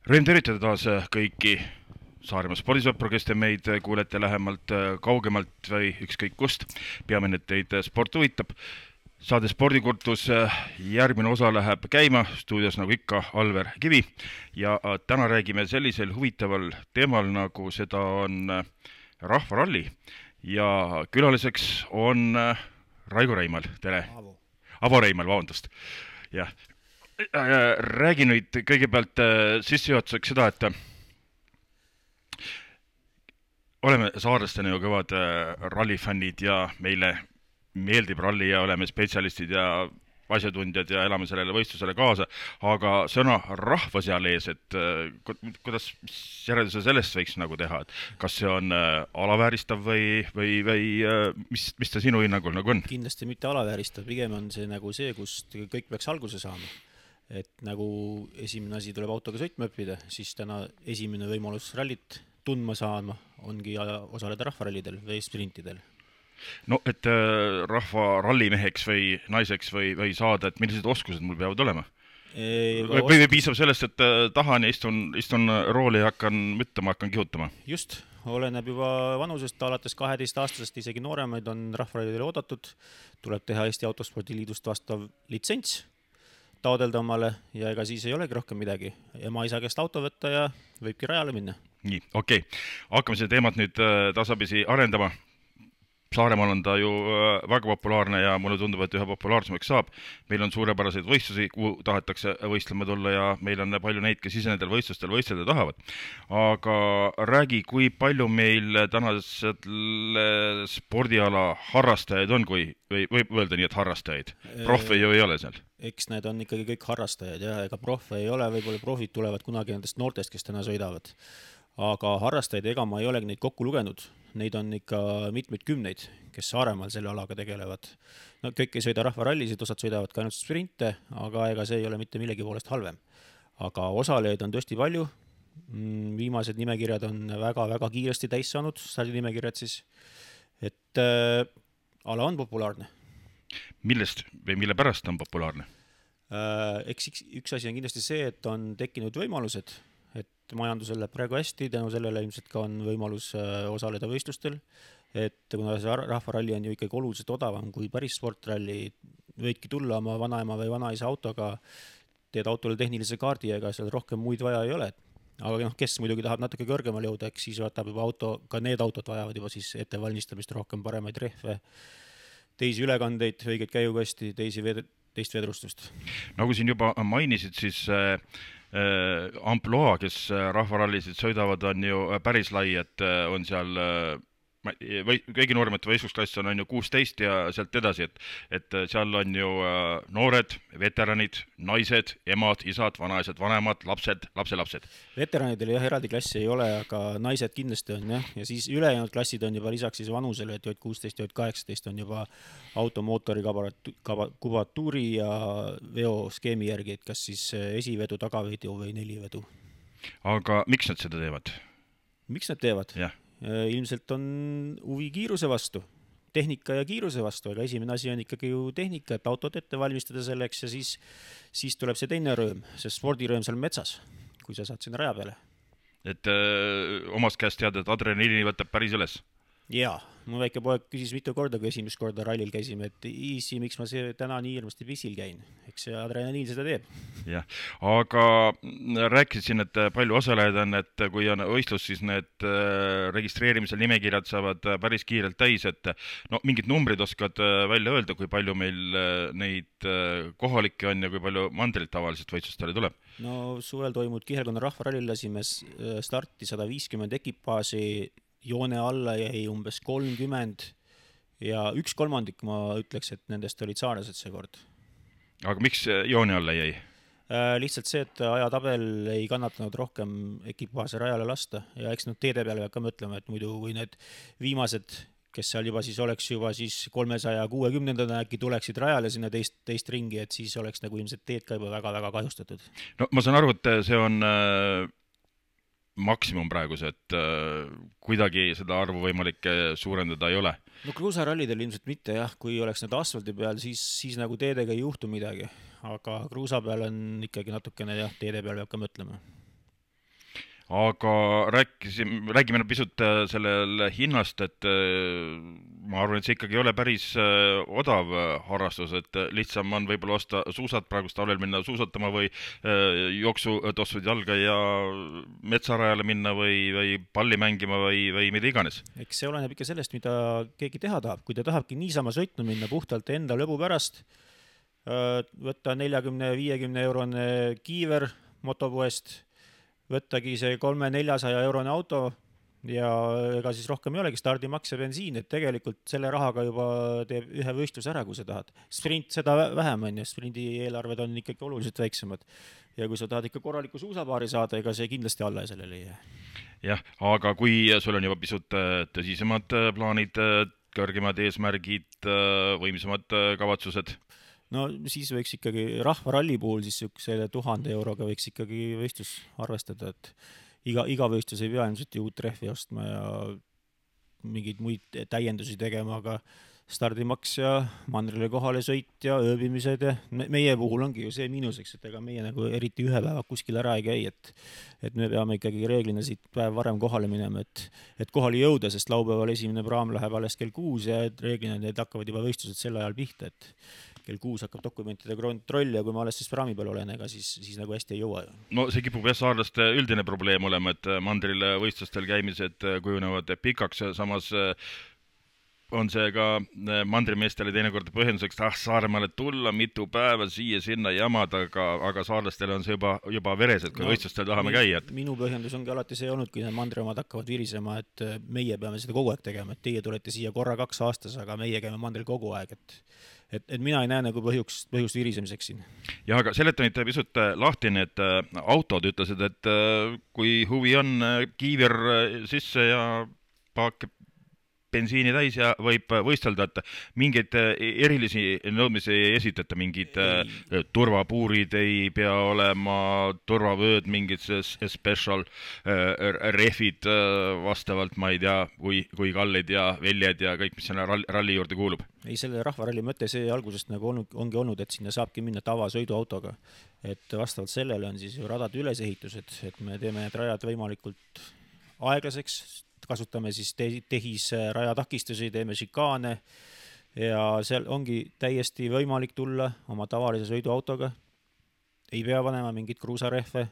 Rõõm tervitada taas kõiki Saaremaa spordisõpru, kes te meid kuulete lähemalt, kaugemalt või ükskõik kust. Peamine, et teid sport huvitab. Saade Spordikurtus järgmine osa läheb käima, stuudios nagu ikka Alver Kivi. Ja täna räägime sellisel huvitaval teemal, nagu seda on rahvaralli. Ja külaliseks on Raigo Reimal, tere. Avo Reimal, vabandust. Jah. Räägi nüüd kõigepealt sissejuhatuseks seda, et oleme saarlastena ju kõvad rallifännid ja meile meeldib ralli ja oleme spetsialistid ja asjatundjad ja elame sellele võistlusele kaasa, aga sõna rahva seal ees, et kuidas, mis järelduse sellest võiks nagu teha, et kas see on alavääristav või mis see sinu hinnangul nagu on? Kindlasti mitte alavääristav, pigem on see nagu see, kust kõik peaks alguse saama. Et nagu esimene asi tuleb autoga sõitma õppida, siis täna esimene võimalus rallit tundma saama ongi osaleda rahvarallidel või sprintidel. No, et rahva rallimeheks või naiseks või saada, et millised oskused mul peavad olema? Või piisab sellest, et tahan ja istun rooli ja hakkan müttama, hakkan kihutama? Just, oleneb juba vanusest, alates 12-aastasest, isegi nooremaid on rahvarallidele oodatud, tuleb teha Eesti Autospordiliidust vastav litsents, taodelda omale ja ega siis ei olegi rohkem midagi. Ema isa käest auto võtta ja võibki rajale minna. Nii, okei. Hakkame seda teemat nüüd tasapisi arendama. Saaremaal on ta ju väga populaarne ja mulle tundub, et ühe populaarsemaks saab. Meil on suurepäraseid võistlusi, kuhu tahetakse võistlema tulla ja meil on palju neid, kes ise nendel võistlustel võistelda tahavad. Aga räägi, kui palju meil tänasel spordiala harrastajaid on, kui võib öelda nii, et harrastajaid? Profe ju ei ole seal. Eks need on ikkagi kõik harrastajad ja ega profe ei ole, võib-olla profid tulevad kunagi nendest noortest, kes täna sõidavad. Aga harrastajaid ega ma ei olegi neid kokku lugenud. Neid on ikka mitmeid kümneid, kes Saaremaal selle alaga tegelevad. No, kõik ei sõida rahvarallisid, osad sõidavad ka ainult sprinte, aga ega see ei ole mitte millegi poolest halvem. Aga osalejaid on tõesti palju. Viimased nimekirjad on väga-väga kiiresti täis saanud, stardinimekirjad siis. Et ala on populaarne. Millest või mille pärast on populaarne? Eks üks asi on kindlasti see, et on tekkinud võimalused, et majandusel läheb praegu hästi, tänu sellele ilmselt ka on võimalus osaleda võistlustel, et kuna see rahvaralli on ju ikkagi oluliselt odavam kui päris sportralli, võidki tulla oma vanaema või vanaisa autoga, teed autole tehnilise kaardi, ega seal rohkem muid vaja ei ole. Aga kes muidugi tahab natuke kõrgemal jõuda, eks siis võtab juba auto, ka need autod vajavad juba siis ettevalmistamist rohkem, paremaid rehve, teisi ülekandeid, õiget käigukasti, teist vedrustust. Nagu siin juba mainisid, siis amploa, kes rahvarallisid sõidavad, on ju päris lai, et on seal kõigi nooremate võistlusklass on ju 16 ja sealt edasi, et seal on ju noored, veteranid, naised, emad, isad, vanaisad, vanemad, lapsed, lapselapsed. Veteranidel jah, eraldi klassi ei ole, aga naised kindlasti on jah, ja siis ülejäänud klassid on juba lisaks siis vanusele, et J16 ja J18 on juba automootori kubatuuri ja veoskeemi järgi, et kas siis esivedu, tagavedu või nelivedu. Aga miks nad seda teevad? Miks nad teevad? Jah. Ilmselt on huvi kiiruse vastu, tehnika ja kiiruse vastu, aga esimene asi on ikkagi ju tehnika, et autot ette valmistada selleks ja siis tuleb see teine rõõm, see spordirõõm seal metsas, kui sa saad sinna raja peale. Et omast käest teada, et adrenaliini võtab päris üles? Jaa, mu väike poeg küsis mitu korda, kui esimest korda rallil käisime, et isi, miks ma täna nii hirmasti pissil käin. Eks see adrenaliin seda teeb. Jah, aga rääkisid siin, et palju osalejaid on, et kui on võistlus, siis need registreerimisel nimekirjad saavad päris kiirelt täis, et no mingid numbrid oskad välja öelda, kui palju meil neid kohalikke on ja kui palju mandrilt tavaliselt võistlustele tuleb? No suvel toimud Kihelkonna rahvarallil lasime starti 150 ekipaasi, joone alla jäi umbes 30 ja 1/3 ma ütleks, et nendest olid saarlased see kord. Aga miks joone alla jäi? Lihtsalt see, et ajatabel ei kannatanud rohkem ekipaase rajale lasta ja eks nüüd teede peale peab ka mõtlema, et muidu kui need viimased, kes seal juba siis oleks juba siis 360-ndana äkki tuleksid rajale sinna teist ringi, et siis oleks nagu ilmselt teed ka juba väga-väga kahjustatud. No ma saan aru, et see on maksimum praegu see, et kuidagi seda arvu võimalik suurendada ei ole. No kruusarallidel ilmselt mitte jah, kui oleks need asfaldi peal, siis nagu teedega ei juhtu midagi, aga kruusa peal on ikkagi natukene jah, teede peal peab ka mõtlema. aga räägime nüüd pisut sellel hinnast, et ma arvan, et see ikkagi ei ole päris odav harrastus, et lihtsam on võib-olla osta suusad praegust talvel minna suusatama või jooksutossud jalga ja metsarajale minna või palli mängima või mida iganes. Eks see oleneb ikka sellest, mida keegi teha tahab. Kui ta tahabki niisama sõitma minna puhtalt enda lõbu pärast, võtta 40-50 eurone kiiver motopoest, võttagi see 300-400 eurone auto ja ega siis rohkem ei olegi stardimaks ja bensiin, et tegelikult selle rahaga juba teeb ühe võistluse ära, kui sa tahad. Sprint seda vähem on ja sprindi eelarved on ikkagi oluliselt väiksemad. Ja kui sa tahad ikka korraliku suusapaari saada, ega see kindlasti alla sellele ei jää. Jah, aga kui sul on juba pisut tõsisemad plaanid, kõrgemad eesmärgid, võimsamad kavatsused? No siis võiks ikkagi rahvaralli puhul siis selle 1000 euroga võiks ikkagi võistlus arvestada, et iga võistlus ei pea ilmselt ju uut rehvi ostma ja mingeid muid täiendusi tegema, aga stardimaks ja mandrile kohale sõit ja ööbimised ja meie puhul ongi ju see miinuseks, et ega meie nagu eriti ühe päeva kuskil ära ei käi, et me peame ikkagi reeglina siit päev varem kohale minema, et kohale jõuda, sest laupäeval esimene praam läheb alles kell 6 ja reeglina need hakkavad juba võistlused sel ajal pihta, et kell 6 hakkab dokumentide kontroll ja kui ma alles siis praami peal olen, ega siis nagu hästi ei jõua. No see kipub jah saarlaste üldine probleem olema, et mandril võistlustel käimised kujunevad pikaks, samas on see ka mandrimeestele teinekord põhjenduseks, Saaremaale tulla mitu päeva siia-sinna jamada, aga saarlastele on see juba veres, et kui võistlustel tahame käia. Minu põhjendus ongi alati see olnud, kui need mandriomad hakkavad virisema, et meie peame seda kogu aeg tegema, et teie tulete siia korra 2 aastas, aga meie käime mandril kogu aeg, et mina ei näe nagu põhjust virisemiseks siin. Ja aga seletanid pisut lahti need autod, ütlesid, et kui huvi on, kiiver sisse ja paak bensiini täis ja võib võistelda, et mingeid erilisi nõudmisi ei esitata, mingid turvapuurid ei pea olema, turvavööd, mingid special rehvid vastavalt, ma ei tea, kui kallid ja väljed ja kõik, mis sinna ralli juurde kuulub. Ei, selle rahvaralli mõte see algusest nagu ongi olnud, et sinna saabki minna tavasõiduautoga. Et vastavalt sellele on siis ju radade ülesehitused, et me teeme need rajad võimalikult aeglaseks, kasutame siis tehisrajatakistusi, teeme šikaane ja seal ongi täiesti võimalik tulla oma tavalise sõiduautoga. Ei pea panema mingit kruusarehve,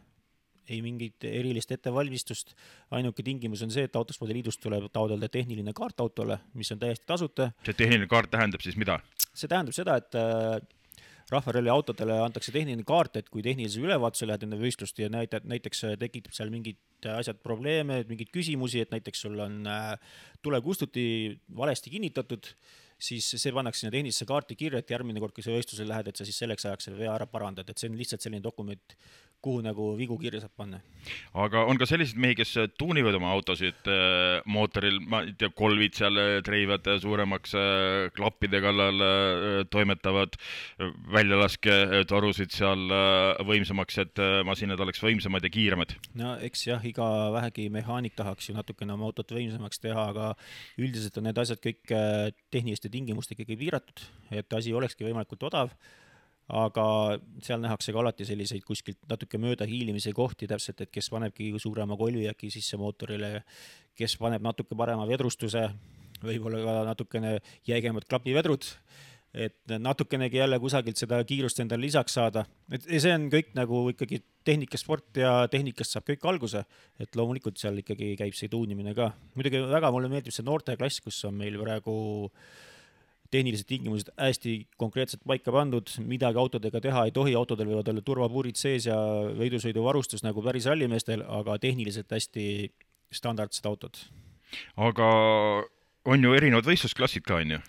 ei mingit erilist ettevalmistust. Ainuke tingimus on see, et Autospordi Liidust tuleb taotleda tehniline kaart autole, mis on täiesti tasuta. See tehniline kaart tähendab siis mida? See tähendab seda, et rahvaralli autodele antakse tehniline kaart, et kui tehnilise ülevaatuse lähed enne võistlust ja näiteks tekitab seal mingid asjad probleeme, mingid küsimusi, et näiteks sul on tulekustuti valesti kinnitatud, siis see pannakse sinna tehnilisse kaarti kirja, et järgmine kord, kui sa võistlusele lähed, et sa siis selleks ajaks selle vea ära parandad, et see on lihtsalt selline dokument, kuhu nagu vigu kirja saab panna. Aga on ka sellised mehi, kes tuunivad oma autosid mootoril, ma ei tea, kolvid seal treivad suuremaks, klappide kallal toimetavad, väljalaske torusid seal võimsamaks, et masinad oleks võimsamad ja kiiremad. No eks jah, iga vähegi mehaanik tahaks ju natukene oma autot võimsamaks teha, aga üldiselt on need asjad kõik tehniliste tingimuste ikkagi piiratud, et asi olekski võimalikult odav. Aga seal nähakse ka alati selliseid kuskilt natuke mööda hiilimise kohti täpselt, et kes panebki suurema kolvi äkki sisse mootorile, kes paneb natuke parema vedrustuse, võib-olla ka natukene jäigemad klapivedrud, et natukenegi jälle kusagilt seda kiirust endale lisaks saada. Et see on kõik nagu ikkagi tehnikasport ja tehnikast saab kõik alguse, et loomulikult seal ikkagi käib see tuunimine ka. Muidugi väga mulle meeldib see noorte klass, kus on meil praegu tehnilised tingimused hästi konkreetselt paika pandud, midagi autodega teha ei tohi, autodel võivad olla turvapuurid sees ja võidusõiduvarustus nagu päris rallimeestel, aga tehniliselt hästi standardsed autod. Aga on ju erinevad võistlusklassid ka, on ju?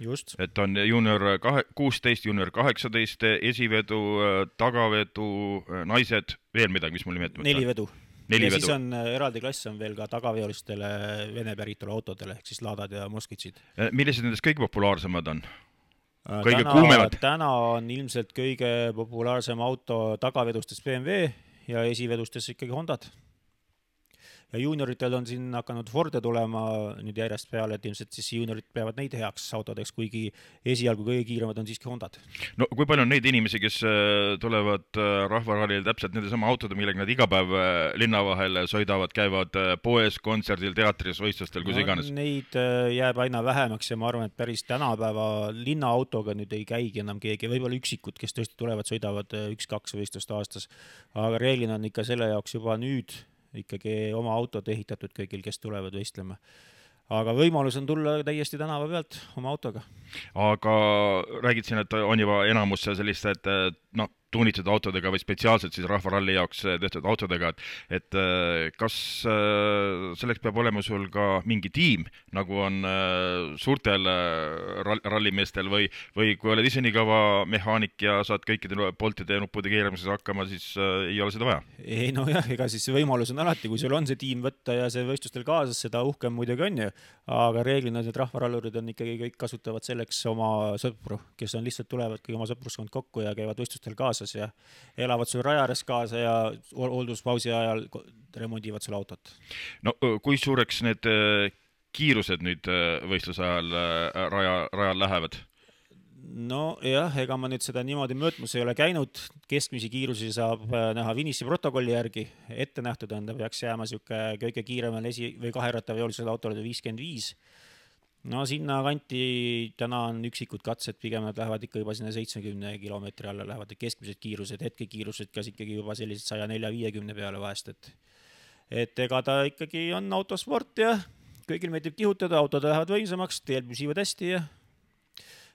Just. Et on junior 16, junior 18, esivedu, tagavedu, naised, veel midagi, mis mul nimetamata? 4 vedu. Ja vedu. Siis on eraldi klass on veel ka tagaveolistele Vene päritolu autodele, ehk siis Ladad ja Moskvitsid. Millised nendest kõige populaarsemad on? Kõige kuumevad? Täna on ilmselt kõige populaarsem auto tagavedustes BMW ja esivedustes ikkagi Hondad. ja juunioritel on siin hakanud Forde tulema nüüd järjest peale, et ilmselt siis juuniorid peavad neid heaks autodeks, kuigi esialgu kõige kiiremad on siiski Hondad. No kui palju on neid inimesi, kes tulevad rahvarallil täpselt nende sama autode, millega nad iga päev linna vahel sõidavad, käivad poes, kontserdil, teatris, võistlustel, kus iganes? Neid jääb aina vähemaks ja ma arvan, et päris tänapäeva linnaautoga nüüd ei käigi enam keegi, võib-olla üksikud, kes tõesti tulevad, sõidavad 1-2 võistlust aastas, aga reeglina on ikka selle jaoks juba nüüd ikkagi oma autod ehitatud kõigil, kes tulevad võistlema. Aga võimalus on tulla täiesti tänava pealt oma autoga. Aga räägid siin, et on juba enamus sellised tuunitud autodega või spetsiaalselt siis rahvaralli jaoks tehtud autodega, et kas selleks peab olema sul ka mingi tiim, nagu on suurtel rallimeestel või kui oled ise nii kõva mehaanik ja saad kõikide poltide ja nuppude keeramises hakkama, siis ei ole seda vaja? Ei nojah, ega siis võimalus on alati, kui sul on see tiim võtta ja see võistlustel kaasas, seda uhkem muidugi on ju, aga reeglina need rahvarallurid on ikkagi kõik kasutavad selleks oma sõpru, kes on lihtsalt tulevadki oma sõpruskond kokku ja käivad võistlustel kaasas ja elavad sul raja ääres kaasa ja hoolduspausi ajal remondivad sul autot. No kui suureks need kiirused nüüd võistluse ajal rajal lähevad? No jah, ega ma nüüd seda niimoodi mõõtmus ei ole käinud, keskmisi kiirusi saab näha Finissi protokolli järgi, ette nähtud on, ta peaks jääma kõige kiiremal või kaherattaveolisel autol 55. No sinna kanti täna on üksikud katsed, pigem nad lähevad ikka juba sinna 70 kilomeetri alla, lähevad keskmised kiirused, hetkekiirused kas ikkagi juba sellised 104-50 peale vahest, et ega ta ikkagi on autosport ja kõigil meeldib kihutada, autod lähevad võimsamaks, teel püsivad hästi ja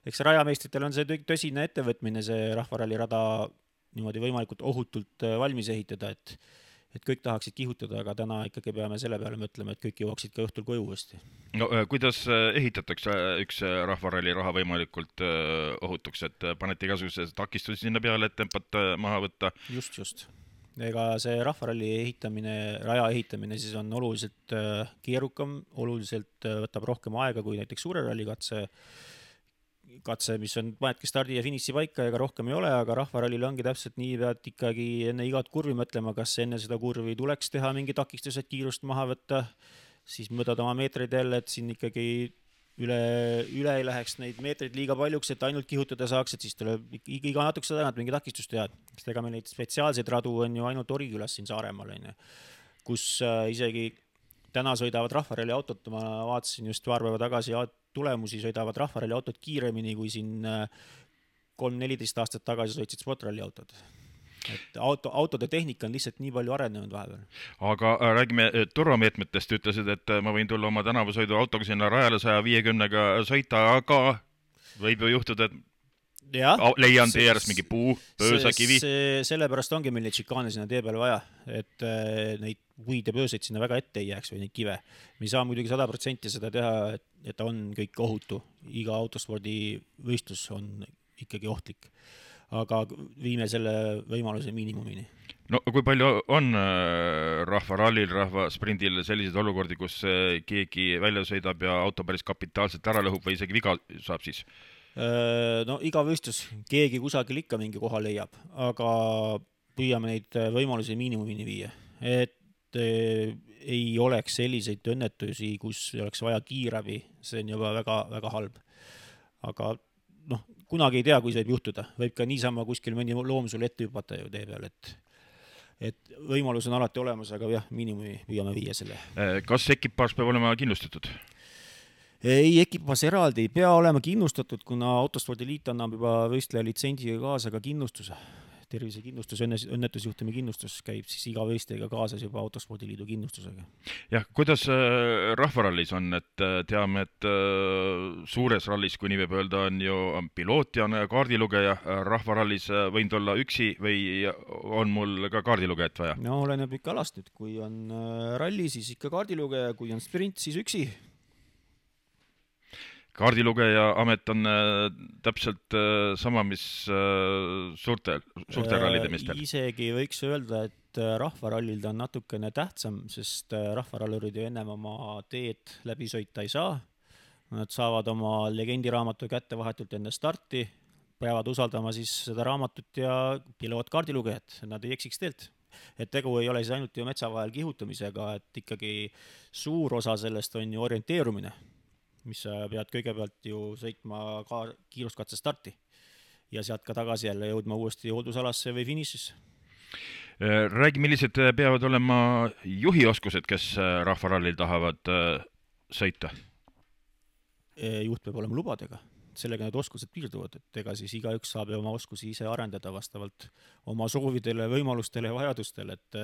eks rajameistritel on see tõsine ettevõtmine, see rahvaralli rada niimoodi võimalikult ohutult valmis ehitada, et kõik tahaksid kihutada, aga täna ikkagi peame selle peale mõtlema, et kõik jõuaksid ka õhtul koju uuesti. No kuidas ehitatakse üks rahvaralli raha võimalikult ohutuks, et panete igasugused takistusi sinna peale, et tempat maha võtta? Just. Ega see rahvaralli ehitamine, raja ehitamine siis on oluliselt keerukam, oluliselt võtab rohkem aega kui näiteks suure ralli katse, mis on panedki stardi ja finissi paika, ega rohkem ei ole, aga rahvarallil ongi täpselt nii, pead ikkagi enne igat kurvi mõtlema, kas enne seda kurvi tuleks teha mingi takistused, kiirust maha võtta, siis mõõdad oma meetreid jälle, et siin ikkagi üle ei läheks neid meetreid liiga paljuks, et ainult kihutada saaks, et siis tuleb iga natukese tagant mingi takistust teha. Sest ega meil neid spetsiaalseid radu on ju ainult Orikülas siin Saaremaal, kus isegi täna sõidavad rahvaralli autot, ma vaatasin just paar päeva tagasi tulemusi, sõidavad rahvaralli autod kiiremini kui siin 3-14 aastat tagasi sõitsid sportralli autod. Et autode tehnika on lihtsalt nii palju arenenud vahepeal. Aga räägime turvameetmetest, ütlesid, et ma võin tulla oma tänavasõidu autoga sinna rajale 150-ga sõita, aga võib ju juhtuda, et leian tee ääres mingi puu, pöösa, kivi. Sellepärast ongi meil neid šikaane sinna tee peale vaja, et neid puid ja pööseid sinna väga ette ei jääks või neid kive. Me ei saa muidugi 100% seda teha, et on kõik ohutu. Iga autospordi võistlus on ikkagi ohtlik. Aga viime selle võimaluse miinimumini. No kui palju on rahvarallil, rahvasprindil selliseid olukordi, kus keegi välja sõidab ja auto päris kapitaalselt ära lõhub või isegi viga saab siis? No iga võistlus, keegi kusagil ikka mingi koha leiab, aga püüame neid võimalusi miinimumini viia, et ei oleks selliseid õnnetusi, kus oleks vaja kiirabi, see on juba väga, väga halb. Aga kunagi ei tea, kui see võib juhtuda, võib ka niisama kuskil mõni loom sul ette hüpata ju tee peal, et võimalus on alati olemas, aga jah, miinimumi püüame viia selle. Kas ekipaaž peab olema kindlustatud? Ei, ekipaaž eraldi ei pea olema kindlustatud, kuna Autospordiliit annab juba võistleja litsentsiga kaasa ka kindlustuse. Tervisekindlustus, õnnetusjuhtumi kindlustus käib siis iga võistlejaga kaasas juba Autospordiliidu kindlustusega. Jah, kuidas rahvarallis on, et teame, et suures rallis, kui nii võib öelda, on ju piloot ja kaardilugeja, rahvarallis võin tulla üksi või on mul ka kaardilugejat vaja? No oleneb ikka alast nüüd, kui on ralli, siis ikka kaardilugeja, kui on sprint, siis üksi. Kaardilugeja amet on täpselt sama, mis suurte rallide meestel. Isegi võiks öelda, et rahvarallil ta on natukene tähtsam, sest rahvarallurid ju ennem oma teed läbi sõita ei saa. Nad saavad oma legendiraamatu kätte vahetult enne starti, peavad usaldama siis seda raamatut ja piloot kaardilugejat, nad ei eksiks teelt. et tegu ei ole siis ainult ju metsa vahel kihutamisega, et ikkagi suur osa sellest on ju orienteerumine, mis sa pead kõigepealt ju sõitma ka kiiruskatse starti ja sealt ka tagasi jälle jõudma uuesti hooldusalasse või finišisse. Räägi, millised peavad olema juhioskused, kes rahvarallil tahavad sõita? Juht peab olema lubadega, sellega need oskused piirduvad, et ega siis igaüks saab ju oma oskusi ise arendada vastavalt oma soovidele, võimalustele ja vajadustele, et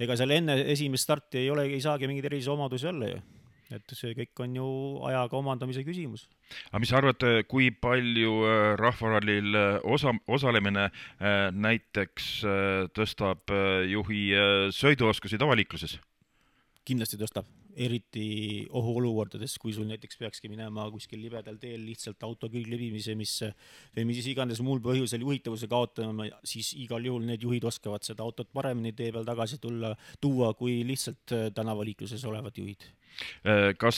ega seal enne esimest starti ei saagi mingeid erilisi omadusi olla ju. Et see kõik on ju ajaga omandamise küsimus. Aga mis sa arvad, kui palju rahvarallil osalemine näiteks tõstab juhi sõiduoskusi tavaliikluses? Kindlasti tõstab, eriti ohuolukordades, kui sul näiteks peakski minema kuskil libedal teel lihtsalt auto külglebimise, või mis iganes muul põhjusel juhitavuse kaotama, siis igal juhul need juhid oskavad seda autot paremini tee peal tagasi tuua, kui lihtsalt tänavaliikluses olevad juhid. Kas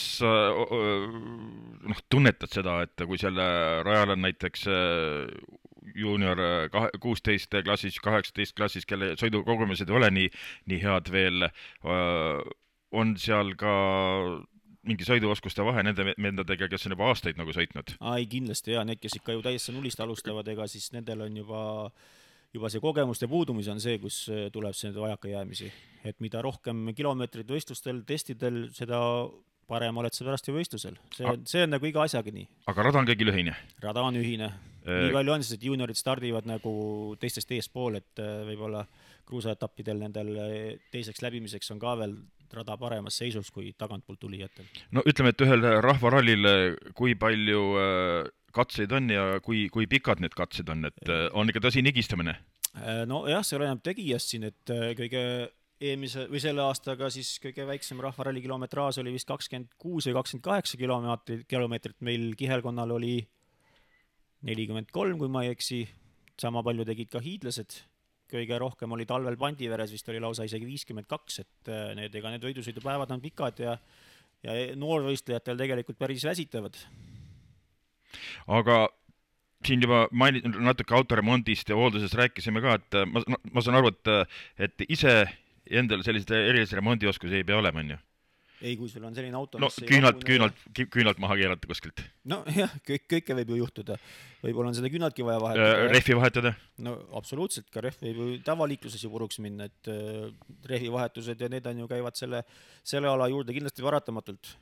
tunnetad seda, et kui selle rajal on näiteks juunior 16 klassis, 18 klassis, kelle sõidukogemused ei ole nii head veel, on seal ka mingi sõiduoskuste vahe nendega, kes on juba aastaid nagu sõitnud? Ai, kindlasti ja need, kes ikka ju täiesti nullist alustavad, ega siis nendel on juba see kogemuste puudumis on see, kus tuleb see vajakajäämisi. Et mida rohkem kilomeetrid võistlustel, testidel, seda parem oled sa pärast ju võistlusel. See on nagu iga asjaga nii. Aga rada on kõigil ühine? Rada on ühine. Nii palju on siis, et juniorid stardivad nagu teistest eespool, et võib-olla kruusaetappidel nendel teiseks läbimiseks on ka veel rada paremas seisus kui tagantpoolt tulijatel. No ütleme, et ühel rahvarallil kui palju katseid on ja kui pikad need katsed on, et on ikka tõsi nigistamine? No jah, see oleneb tegijast siin, et kõige eelmise või selle aastaga siis kõige väiksem rahvaralli kilometraaž oli vist 26 või 28 kilomeetrit, meil kihelkonnal oli 43, kui ma ei eksi, sama palju tegid ka hiidlased, kõige rohkem oli talvel Pandiveres, vist oli lausa isegi 52, et need võidusõidupäevad on pikad ja noorvõistlejatel tegelikult päris väsitavad. Aga siin juba natuke autoremondist ja hooldusest rääkisime ka, et ma saan aru, et ise endal sellised erilise remondioskusi ei pea olema, on ju? Ei, kui sul on selline auto, no küünalt maha keerata kuskilt. No jah, kõike võib ju juhtuda. Võib-olla on seda küünaltki vaja vahetada. Rehvi vahetada? No absoluutselt, ka rehv võib ju tavaliikluses ju puruks minna, et rehvi vahetused ja need on ju käivad selle ala juurde kindlasti paratamatult.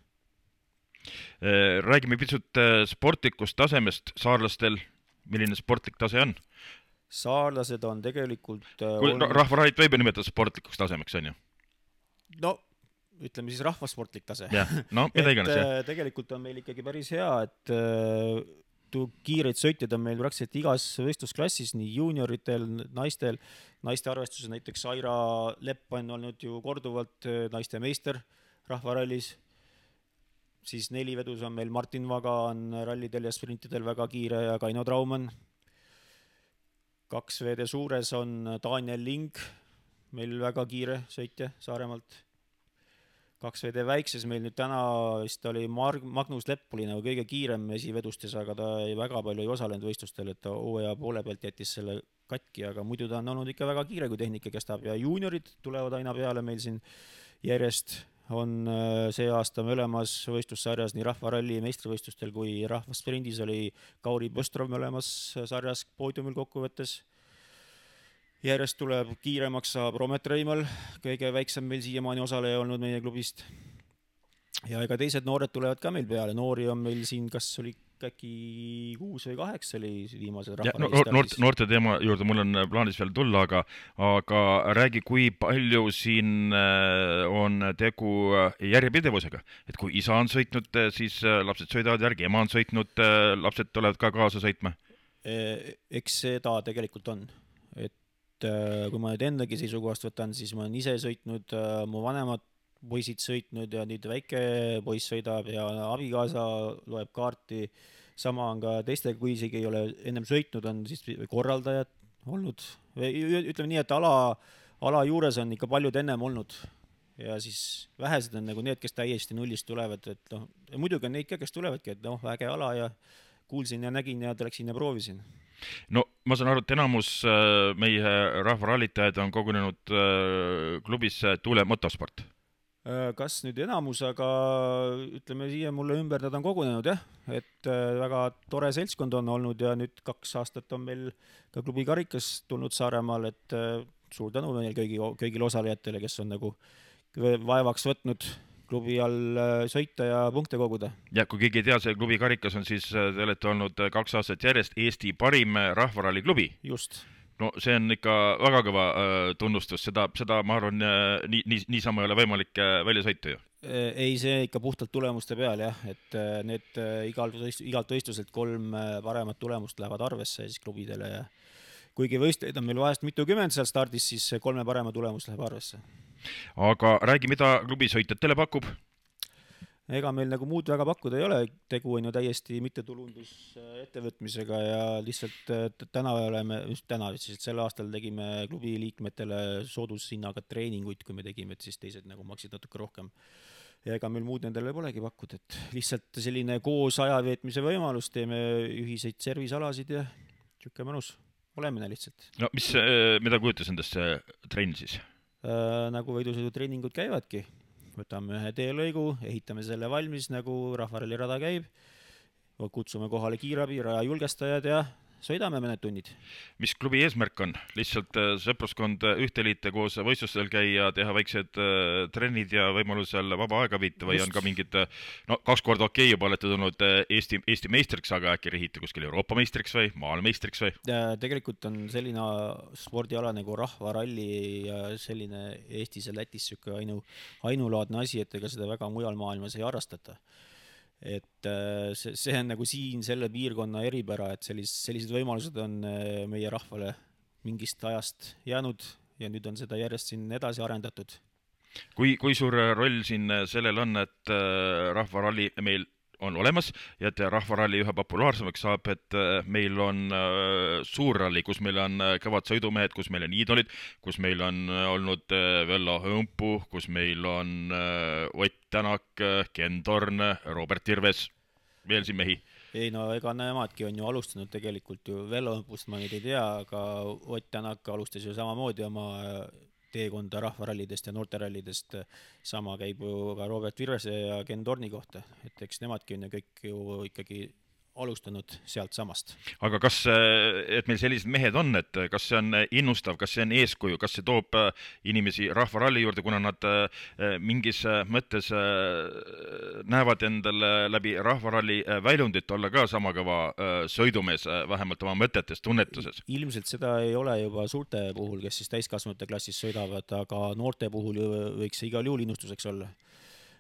Räägime pisut sportlikust tasemest saarlastel. Milline sportlik tase on? Saarlased on tegelikult... Rahvarallit võib ju nimetada sportlikuks tasemeks, on ju? No, ütleme siis rahvasportlik tase. No, mida iganes, jah. Tegelikult on meil ikkagi päris hea, et kiireid sõitjaid on meil praktiliselt igas võistlusklassis, nii juunioritel, naiste arvestuses näiteks Aira Lepp on olnud ju korduvalt naiste meister rahvarallis, siis 4 vedus on meil Martin Vaga on rallidel ja sprintidel väga kiire ja Kaino Traumann. 2 veede suures on Daniel Ling, meil väga kiire sõitja Saaremaalt. 2 veede väikses meil nüüd täna vist oli Magnus Lepp oli nagu kõige kiirem esivedustes, aga ta väga palju ei osalenud võistlustel, et ta hooaja poole pealt jättis selle katki, aga muidu ta on olnud ikka väga kiire, kui tehnika kestab ja juuniorid tulevad aina peale meil siin järjest. On see aasta mõlemas võistlussarjas nii rahvaralli meistrivõistlustel kui rahvasprindis oli Kauri Põstrov mõlemas sarjas poodiumil kokkuvõttes. Järjest tuleb kiiremaks saab Romet Reimal, kõige väiksem meil siiamaani osaleja olnud meie klubist. Ja ega teised noored tulevad ka meil peale. Noori on meil siin, kas oli äkki 6 või 8 oli viimased rahvarallistarvis. Noorte teema juurde mul on plaanis veel tulla, aga räägi, kui palju siin on tegu järjepidevusega. Et kui isa on sõitnud, siis lapsed sõidavad järgi, ema on sõitnud, lapsed tulevad ka kaasa sõitma? Eks seda tegelikult on. Et kui ma nüüd endagi seisukohast võtan, siis ma olen ise sõitnud, mu vanemad poisid sõitnud ja nüüd väike poiss sõidab ja abikaasa loeb kaarti. Sama on ka teistega, kui isegi ei ole ennem sõitnud, on siis korraldajad olnud. Ütleme nii, et ala juures on ikka paljud ennem olnud ja siis vähesed on nagu need, kes täiesti nullist tulevad. Et muidugi on neid ka, kes tulevadki, et väge ala ja kuulsin ja nägin ja läksin ja proovisin. No ma saan aru, et enamus meie rahvarallitajaid on kogunenud klubisse Tuule Motosport. Kas nüüd enamus, aga ütleme siia mulle ümber nad on kogunenud jah, et väga tore seltskond on olnud ja nüüd 2 aastat on meil ka klubi karikas tulnud Saaremaal, et suur tänu meil kõigile osalejatele, kes on nagu vaevaks võtnud klubi all sõita ja punkte koguda. Ja kui keegi ei tea, see klubi karikas on siis, te olete olnud 2 aastat järjest Eesti parim rahvaralli klubi. Just. No see on ikka väga kõva tunnustus, seda ma arvan, niisama ei ole võimalik välja sõita ju. Ei, see ikka puhtalt tulemuste peal jah, et need igalt võistluselt 3 paremat tulemust lähevad arvesse siis klubidele ja kuigi võistleid on meil vahest mitukümmend seal stardis, siis 3 parema tulemus läheb arvesse. Aga räägi, mida klubi sõitjatele pakub? Ega meil nagu muud väga pakkuda ei ole, tegu on ju täiesti mittetulundusettevõtmisega ja lihtsalt täna siis sel aastal tegime klubi liikmetele soodushinnaga treeninguid, kui me tegime, et siis teised nagu maksid natuke rohkem. Ja ega meil muud nendele polegi pakkuda, et lihtsalt selline koos ajaveetmise võimalus, teeme ühiseid servisalasid ja tšükke mõnus olemine lihtsalt. No mida kujutas endast see trenn siis? Nagu võidusõidutreeningud käivadki. Võtame ühe teelõigu, ehitame selle valmis, nagu rahvaralli rada käib, kutsume kohale kiirabi, raja julgestajad ja sõidame mõned tunnid. Mis klubi eesmärk on? Lihtsalt sõpruskond ühteliite koos võistlustel käia, teha väiksed trennid ja võimalusel vaba aega viita või on ka mingid, 2 korda okei juba olete tulnud Eesti meistriks, aga äkki rihite kuskil Euroopa meistriks või maailmeistriks või? Tegelikult on selline spordiala nagu rahvaralli ja selline Eestis ja Lätis ainulaadne asi, et ega seda väga mujal maailmas ei harrastata. Et see on nagu siin selle piirkonna eripära, et sellised võimalused on meie rahvale mingist ajast jäänud ja nüüd on seda järjest siin edasi arendatud. Kui suur roll siin sellel on, et rahvaralli meil on olemas ja et rahvaralli üha populaarsemaks saab, et meil on suurralli, kus meil on kõvad sõidumehed, kus meil on iidolid, kus meil on olnud Vello Hõmpu, kus meil on Ott Tänak, Ken Torn, Robert Tirves, veel siin mehi. Ei no ega nemadki on ju alustanud tegelikult ju Vello Hõmpust ma nüüd ei tea, aga Ott Tänak alustas ju samamoodi oma teekonda rahvarallidest ja noorterallidest, sama käib ju ka Robert Tirvese ja Ken Torni kohta, et eks nemadki on ju kõik ju ikkagi alustanud sealt samast. Aga kas, et meil sellised mehed on, et kas see on innustav, kas see on eeskuju, kas see toob inimesi rahvaralli juurde, kuna nad mingis mõttes näevad endale läbi rahvaralli väljundit olla ka sama kõva sõidumees, vähemalt oma mõtetes, tunnetuses? Ilmselt seda ei ole juba suurte puhul, kes siis täiskasvanute klassis sõidavad, aga noorte puhul võiks see igal juhul innustuseks olla.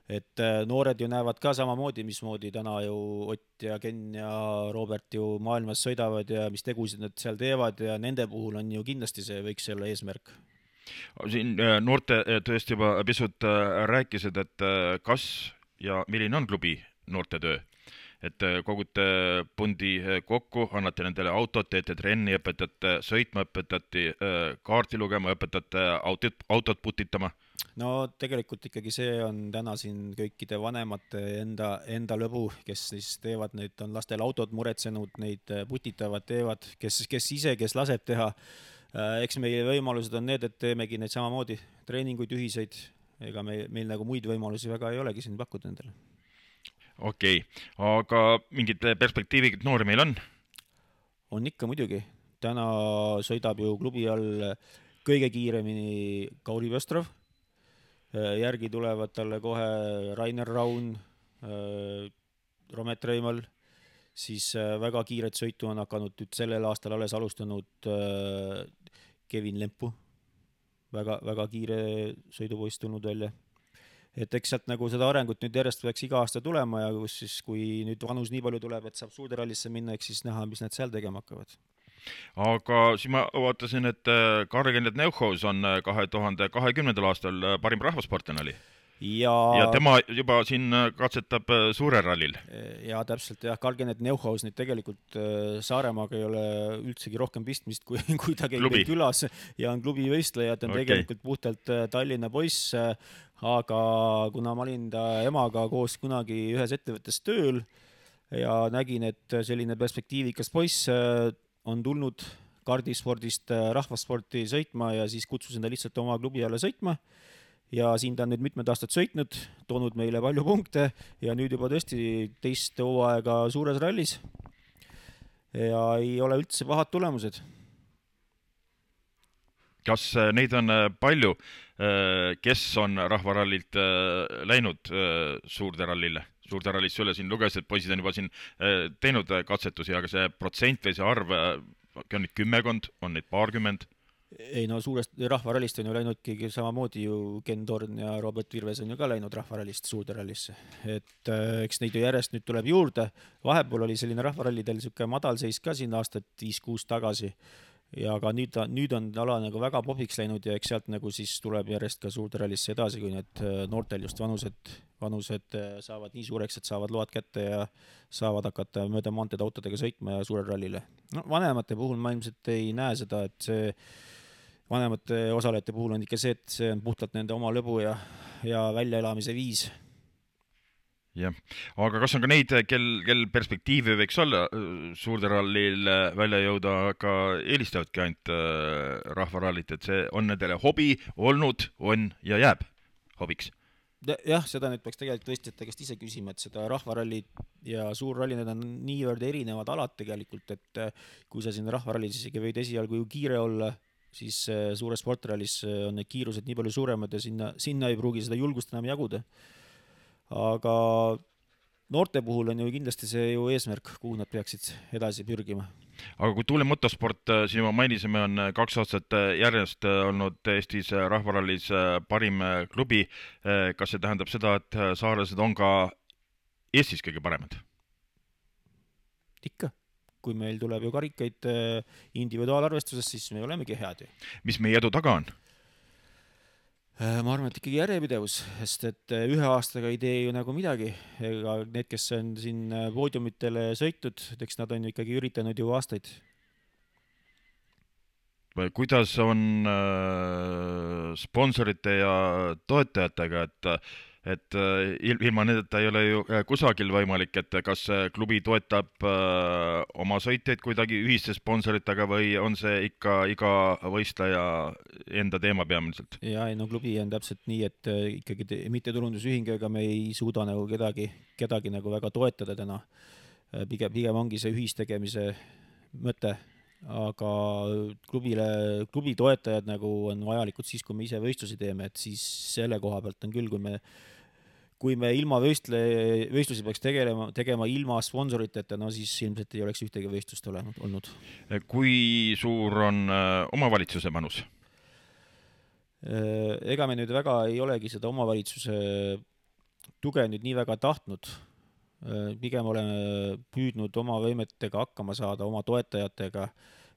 Et noored ju näevad ka samamoodi, mismoodi täna ju Ott ja Ken ja Robert ju maailmas sõidavad ja mis tegusid nad seal teevad ja nende puhul on ju kindlasti see võiks olla eesmärk. Siin noorte tõesti juba pisut rääkisid, et kas ja milline on klubi noortetöö? Et kogute pundi kokku, annate nendele autot, teete trenni, õpetate sõitma, õpetate kaarti lugema, õpetate autot putitama? No tegelikult ikkagi see on täna siin kõikide vanemate enda lõbu, kes siis teevad, neid on lastel autod muretsenud, neid putitavad teevad, kes ise, kes laseb teha. Eks meie võimalused on need, et teemegi neid samamoodi treeninguid ühiseid, ega meil nagu muid võimalusi väga ei olegi siin pakkuda nendele. Okei, aga mingid perspektiivid noori meil on? On ikka muidugi. Täna sõidab ju klubi all kõige kiiremini Kauri Pöstrov. Järgi tulevad talle kohe Rainer Raun, Romet Reimal, siis väga kiiret sõitu on hakanud nüüd sellel aastal alles alustanud Kevin Lempu, väga kiire sõidupoist tulnud välja. Et eks sealt nagu seda arengut nüüd järjest peaks iga aasta tulema ja kui nüüd vanus nii palju tuleb, et saab suurde rallisse minna, eks siis näha, mis nad seal tegema hakkavad. Aga siis ma vaatasin, et Karl-Kenneth Neuhaus on 2020. aastal parim rahvasportlane oli. Ja tema juba siin katsetab suure rallil. Ja täpselt jah, Karl-Kenneth Neuhaus nüüd tegelikult Saaremaaga ei ole üldsegi rohkem pistmist, kui ta käib külas ja on klubi võistleja, et on tegelikult puhtalt Tallinna poiss, aga kuna ma olin ta emaga koos kunagi ühes ettevõttes tööl, ja nägin, et selline perspektiivikas poiss on tulnud kardispordist rahvasporti sõitma ja siis kutsusin ta lihtsalt oma klubi alla sõitma ja siin ta on nüüd mitmed aastad sõitnud, toonud meile palju punkte ja nüüd juba tõesti teist hooaega suures rallis ja ei ole üldse pahad tulemused. Kas neid on palju, kes on rahvarallilt läinud suurde rallisse üle? Siin luges, et poisid on juba siin teinud katsetusi, aga see protsent või see arv, on neid 10, on neid paarkümmend? Ei no suurest rahvarallist on ju läinudki samamoodi ju Ken Torn ja Robert Virves on ju ka läinud rahvarallist suurde rallisse. Et eks neid ju järjest nüüd tuleb juurde. Vahepeal oli selline rahvarallidel siuke madalseis ka siin aastat 5-6 tagasi. Ja aga nüüd on ala nagu väga popiks läinud ja eks sealt nagu siis tuleb järjest ka suurde rallisse edasi, kui need noortel just vanused saavad nii suureks, et saavad load kätte ja saavad hakata mööda maanteed autodega sõitma ja suurel rallile. No, vanemate puhul ma ilmselt ei näe seda, et see vanemate osalejate puhul on ikka see, et see on puhtalt nende oma lõbu ja väljaelamise viis. Jah, aga kas on ka neid, kel perspektiivi võiks olla suurde rallil välja jõuda, aga eelistavadki ainult rahvarallit, et see on nendele hobi olnud, on ja jääb hobiks? Jah, seda nüüd peaks tegelikult võistjate käest ise küsima, et seda rahvarallit ja suurralli, need on niivõrd erinevad alad tegelikult, et kui sa siin rahvarallis isegi võid esialgu ju kiire olla, siis suures sportrallis on need kiirused nii palju suuremad ja sinna ei pruugi seda julgust enam jaguda. Aga noorte puhul on ju kindlasti see ju eesmärk, kuhu nad peaksid edasi pürgima. Aga kui Tuule motosport, siin juba mainisime, on 2 aastat järjest olnud Eestis rahvarallis parim klubi. Kas see tähendab seda, et saarlased on ka Eestis kõige paremad? Ikka. Kui meil tuleb ju karikaid individuaalarvestuses, siis me olemegi head ju. Mis meie edu taga on? Ma arvan, et ikkagi järjepidevus, sest et ühe aastaga ei tee ju nagu midagi. Ega need, kes on siin poodiumitele sõitud, eks nad on ju ikkagi üritanud ju aastaid. Kuidas on sponsorite ja toetajatega, et ilma nendeta ei ole ju kusagil võimalik, et kas klubi toetab oma sõitjaid kuidagi ühiste sponsoritega või on see ikka iga võistleja enda teema peamiselt? Ja no klubi on täpselt nii, et ikkagi mittetulundusühing, ega me ei suuda nagu kedagi nagu väga toetada täna. Pigem ongi see ühistegemise mõte, aga klubi toetajad nagu on vajalikud siis, kui me ise võistlusi teeme, et siis selle koha pealt on küll, kui me ilma võistlusi peaks tegema ilma sponsoriteta, no siis ilmselt ei oleks ühtegi võistlust olnud. Kui suur on omavalitsuse panus? Ega me nüüd väga ei olegi seda omavalitsuse tuge nüüd nii väga tahtnud. Pigem oleme püüdnud oma võimetega hakkama saada, oma toetajatega,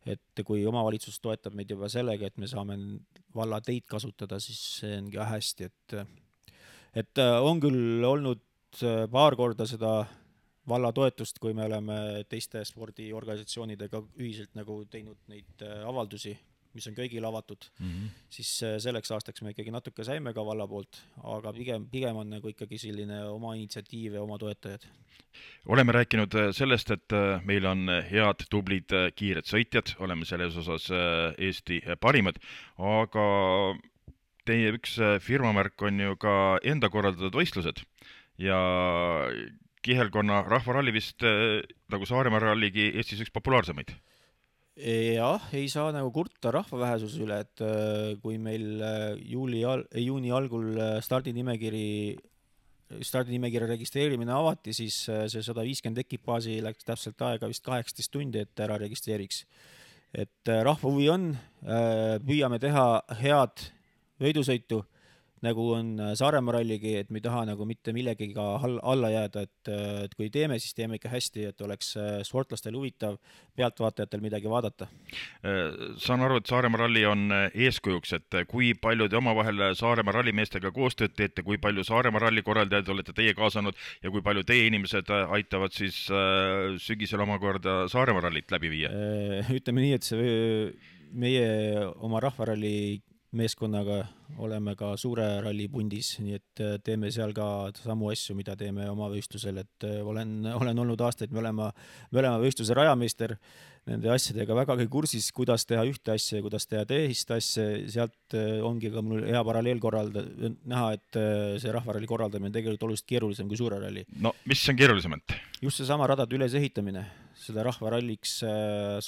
et kui omavalitsus toetab meid juba sellega, et me saame valla teid kasutada, siis see ongi hästi, et on küll olnud paar korda seda valla toetust, kui me oleme teiste spordiorganisatsioonidega ühiselt nagu teinud neid avaldusi, mis on kõigil avatud, siis selleks aastaks me ikkagi natuke saime ka valla poolt, aga pigem on nagu ikkagi selline oma initsiatiiv ja oma toetajad. Oleme rääkinud sellest, et meil on head, tublid, kiired sõitjad, oleme selles osas Eesti parimad, aga teie üks firmamärk on ju ka enda korraldatud võistlused ja kihelkonna rahvaralli vist nagu Saaremaa ralligi Eestis üks populaarsemaid. Jah, ei saa nagu kurta rahvavähesuse üle, et kui meil juuni algul stardinimekirja registreerimine avati, siis see 150 ekipaasi läks täpselt aega vist 18 tundi, et ära registreeriks. Et rahva huvi on, püüame teha head võidusõitu, nagu on Saaremaa ralligi, et me ei taha nagu mitte millegagi alla jääda, et kui teeme, siis teeme ikka hästi, et oleks sportlastel huvitav, pealtvaatajatel midagi vaadata. Saan aru, et Saaremaa ralli on eeskujuks, et kui palju te omavahel Saaremaa rallimeestega koostööd teete, kui palju Saaremaa ralli korraldajad olete teie kaasanud ja kui palju teie inimesed aitavad siis sügisel omakorda Saaremaa rallit läbi viia? Ütleme nii, et meie oma rahvaralli meeskonnaga oleme ka suure ralli pundis, nii et teeme seal ka samu asju, mida teeme oma võistlusel, et olen olnud aastaid, me oleme võistluse rajameister, nende asjadega vägagi kursis, kuidas teha ühte asja ja kuidas teha teist asja, sealt ongi ka mul hea paralleel näha, et see rahvaralli korraldamine on tegelikult oluliselt keerulisem kui suure ralli. No mis on keerulisemalt? Just see sama radade ülesehitamine, seda rahvaralliks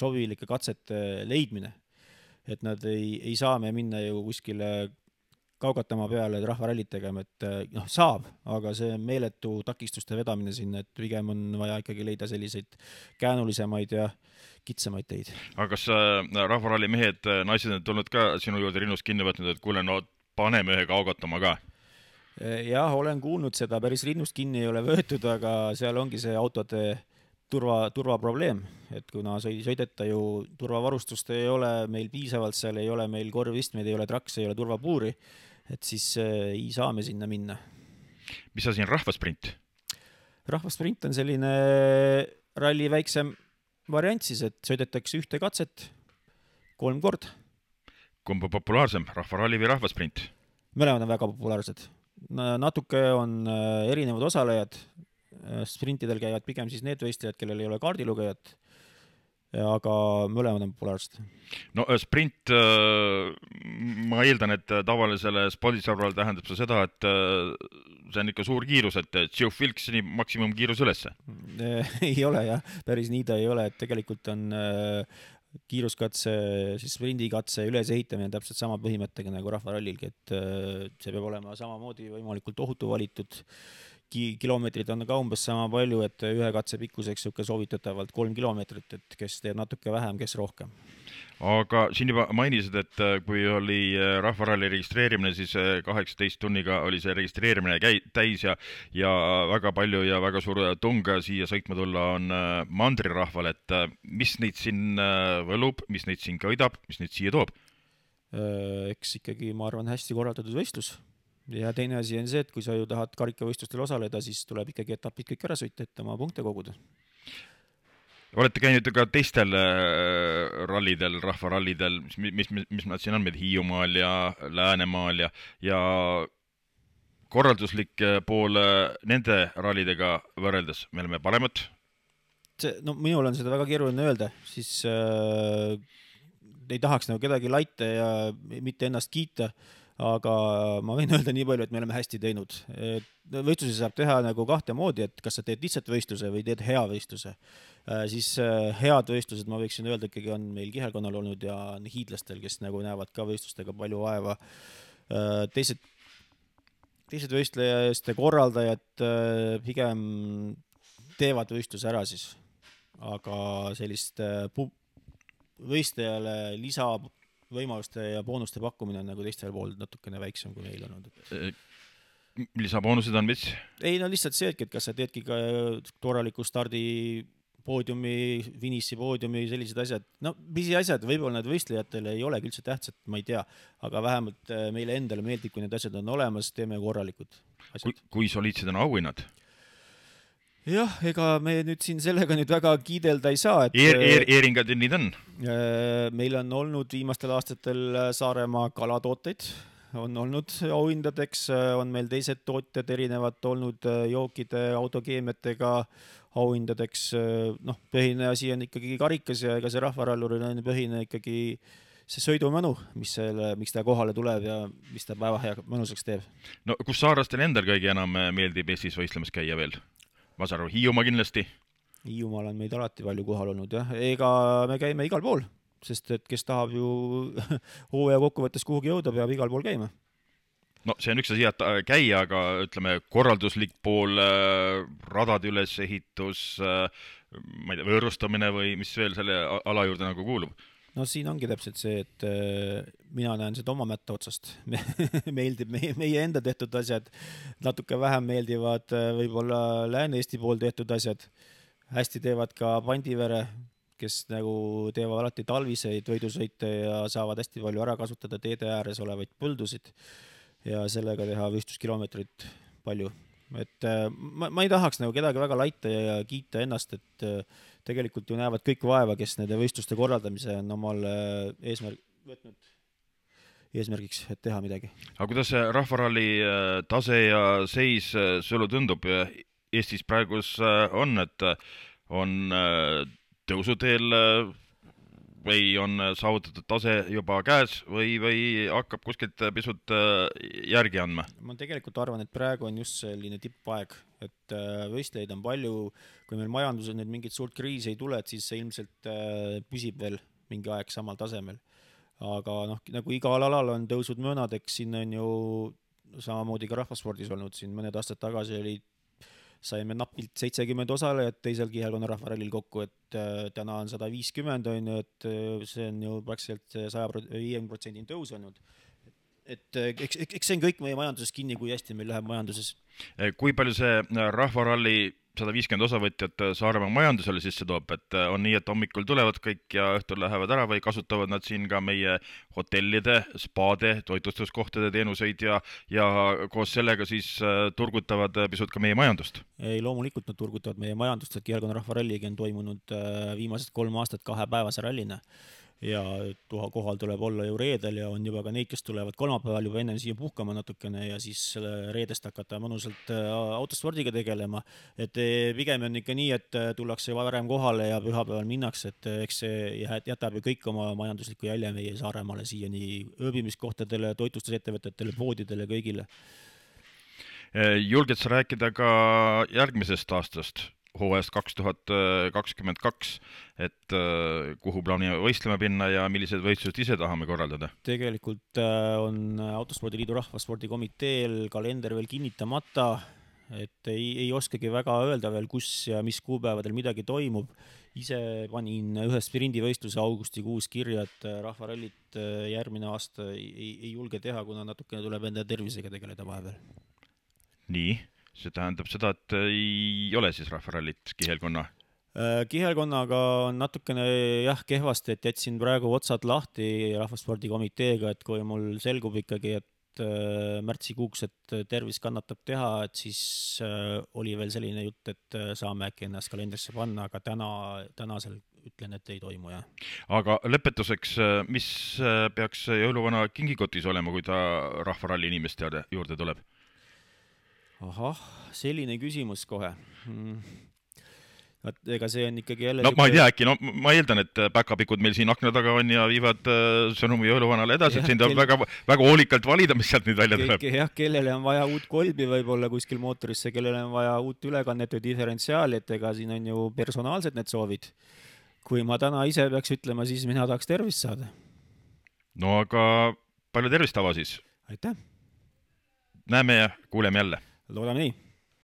sobilike katsete leidmine, et nad ei saa me minna ju kuskile kaugatama peale rahvarallit tegema, et saab, aga see meeletu takistuste vedamine sinna, et pigem on vaja ikkagi leida selliseid käänulisemaid ja kitsamaid teid. Aga kas rahvaralli mehed, naised on tulnud ka sinu juurde rinnust kinni võtnud, et kuule, no paneme ühe kaugatama ka? Jah, olen kuulnud seda, päris rinnust kinni ei ole võetud, aga seal ongi see autode turvaprobleem, et kuna sõideta ju turvavarustust ei ole meil piisavalt, seal ei ole meil korvistmeid, ei ole trakse, ei ole turvapuuri, et siis ei saa me sinna minna. Mis asi on rahvasprint? Rahvasprint on selline ralli väiksem variant siis, et sõidetakse ühte katset 3 kord. Kumb on populaarsem, rahvaralli või rahvasprint? Mõlemad on väga populaarsed. Natuke on erinevad osalejad, sprintidel käivad pigem siis need võistlejad, kellel ei ole kaardilugejat, aga mõlemad on populaarsed. No sprint, ma eeldan, et tavalisele spordisõbrale tähendab see seda, et see on ikka suur kiirus, et Tšõu-Filksini maksimumkiirus ülesse. Ei ole jah, päris nii ta ei ole, et tegelikult on kiiruskatse, siis sprindikatse ülesehitamine täpselt sama põhimõttega nagu rahvarallilgi, et see peab olema samamoodi võimalikult ohutu valitud. Kilomeetrid on ka umbes sama palju, et ühe katse pikkuseks soovitatavalt 3 kilomeetrit, et kes teeb natuke vähem, kes rohkem. Aga siin juba mainisid, et kui oli rahvaralli registreerimine, siis 18 tunniga oli see registreerimine täis ja väga palju ja väga suur tung siia sõitma tulla on mandrirahval, et mis neid siin võlub, mis neid siin kõidab, mis neid siia toob? Eks ikkagi, ma arvan, hästi korraldatud võistlus. Ja teine asi on see, et kui sa ju tahad karikavõistlustel osaleda, siis tuleb ikkagi etapid kõik ära sõita, et oma punkte koguda. Olete käinud ka teistel rallidel, rahvarallidel, mis nad siin on, Hiiumaal ja Läänemaal ja korralduslik pool nende rallidega võrreldes, me oleme paremad? No minul on seda väga keeruline öelda, siis ei tahaks nagu kedagi laita ja mitte ennast kiita, aga ma võin öelda nii palju, et me oleme hästi teinud. Võistluse saab teha nagu kahte moodi, et kas sa teed lihtsalt võistluse või teed hea võistluse. Siis head võistlused, ma võiksin öelda, ikkagi on meil kihelkonnal olnud ja hiidlastel, kes nagu näevad ka võistlustega palju vaeva. Teised võistlejaste korraldajad pigem teevad võistluse ära siis, aga sellist võistlejale lisavõimaluste ja boonuste pakkumine on nagu teistel pool natukene väiksem kui meil olnud. Lisaboonused on mis? Ei, no lihtsalt see, et kas sa teedki ka korraliku stardi poodiumi, finissi poodiumi, sellised asjad. No, pisi asjad, võib-olla need võistlejatele ei olegi üldse tähtsad, ma ei tea, aga vähemalt meile endale meeldib, kui need asjad on olemas, teeme korralikud asjad. Kui soliidsed on auhinnad? Jah, ega me nüüd siin sellega nüüd väga kiidelda ei saa. Eeringad ja nii on? Meil on olnud viimastel aastatel Saaremaa kalatooteid, on olnud auhindadeks, on meil teised tootjad erinevad olnud jookide, autokeemiatega auhindadeks. No, põhine asi on ikkagi karikas ja ega see rahvaralluril on põhine ikkagi see sõidumõnu, miks ta kohale tuleb ja mis ta päeva hea mõnusaks teeb. No kus saarlastel endal kõige enam meeldib Eestis võistlemas käia veel? Ma saan aru, Hiiumaa kindlasti? Hiiumaal on meid alati palju kohal olnud, jah. Ega me käime igal pool, sest et kes tahab ju hooaja kokkuvõttes kuhugi jõuda, peab igal pool käima. No see on üks asi, et käia, aga ütleme korralduslik pool, radade ülesehitus, ma ei tea, võõrustamine või mis veel selle ala juurde nagu kuulub? No siin ongi täpselt see, et mina näen seda oma mätta otsast. Meeldib meie enda tehtud asjad, natuke vähem meeldivad võib-olla Lääne-Eesti pool tehtud asjad. Hästi teevad ka Pandivere, kes nagu teevad alati talviseid võidusõite ja saavad hästi palju ära kasutada teede ääres olevaid põldusid ja sellega teha võistluskilomeetrit palju. Et ma ei tahaks nagu kedagi väga laita ja kiita ennast, et tegelikult ju näevad kõik vaeva, kes nende võistluste korraldamise on omal eesmärk võtnud. eesmärgiks, et teha midagi. Aga kuidas see rahvaralli tase ja seis sulle tundub Eestis praegus on, et on tõusuteel või on saavutatud tase juba käes või hakkab kuskilt pisut järgi andma? Ma tegelikult arvan, et praegu on just selline tippaeg, et võistlejaid on palju, kui meil majanduses nüüd mingit suurt kriisi ei tule, et siis see ilmselt püsib veel mingi aeg samal tasemel. Aga nagu igal alal on tõusud möönad, eks siin on ju samamoodi ka rahvaspordis olnud, siin mõned aastad tagasi saime napilt 70 osalejat teisel kihelkonna rahvarallil kokku, et täna on 150, on ju, et see on ju praktiliselt 150% tõus olnud. Et eks see on kõik meie majanduses kinni, kui hästi meil läheb majanduses. Kui palju see rahvaralli 150 osavõtjat Saaremaa majandusele sisse toob, et on nii, et hommikul tulevad kõik ja õhtul lähevad ära või kasutavad nad siin ka meie hotellide, spaade, toitlustuskohtade teenuseid ja koos sellega siis turgutavad pisut ka meie majandust? Ei, loomulikult nad turgutavad meie majandust, et kihelkonna rahvaralligi on toimunud viimased 3 aastat 2-päevase rallina. Ja kohal tuleb olla ju reedel ja on juba ka neid, kes tulevad kolmapäeval juba ennem siia puhkama natukene ja siis reedest hakata mõnusalt autospordiga tegelema. Et pigem on ikka nii, et tullakse varem kohale ja pühapäeval minnakse, et eks see jätab ju kõik oma majanduslikku jälje meie Saaremaale siia nii ööbimiskohtadele, toitlustusettevõtetele, poodidele, kõigile. Julged sa rääkida ka järgmisest aastast? hooajast 2022, et kuhu plaanime võistlema pinna ja millised võistlused ise tahame korraldada? Tegelikult on Autospordiliidu rahvaspordikomiteel kalender veel kinnitamata, et ei oskagi väga öelda veel, kus ja mis kuupäevadel midagi toimub. Ise panin ühe sprindivõistluse augustikuus kirja, et rahvarallit järgmine aasta ei julge teha, kuna natukene tuleb enda tervisega tegeleda vahepeal. Nii? See tähendab seda, et ei ole siis rahvarallit kihelkonna? Kihelkonnaga on natukene kehvasti, et jätsin praegu otsad lahti rahvaspordikomiteega, et kui mul selgub ikkagi, et märtsikuuks, et tervis kannatab teha, et siis oli veel selline jutt, et saame äkki ennast kalendrisse panna, aga tänasel ütlen, et ei toimu, jah. Aga lõpetuseks, mis peaks jõuluvana kingikotis olema, kui ta rahvaralli inimeste juurde tuleb? Ahah, selline küsimus kohe. Ega see on ikkagi jälle... ma ei tea, äkki, ma eeldan, et päkapikud meil siin akna taga on ja viivad sõnumi jõuluvanale edasi, et siin tuleb väga hoolikalt valida, mis sealt nüüd välja tuleb. Kellele on vaja uut kolbi võib-olla kuskil mootorisse, kellele on vaja uut ülekannet või diferentsiaali, et ega siin on ju personaalsed need soovid. Kui ma täna ise peaks ütlema, siis mina tahaks tervist saada. No aga palju tervist, Ava siis! Aitäh! Näeme ja kuuleme jälle! Loodame nii.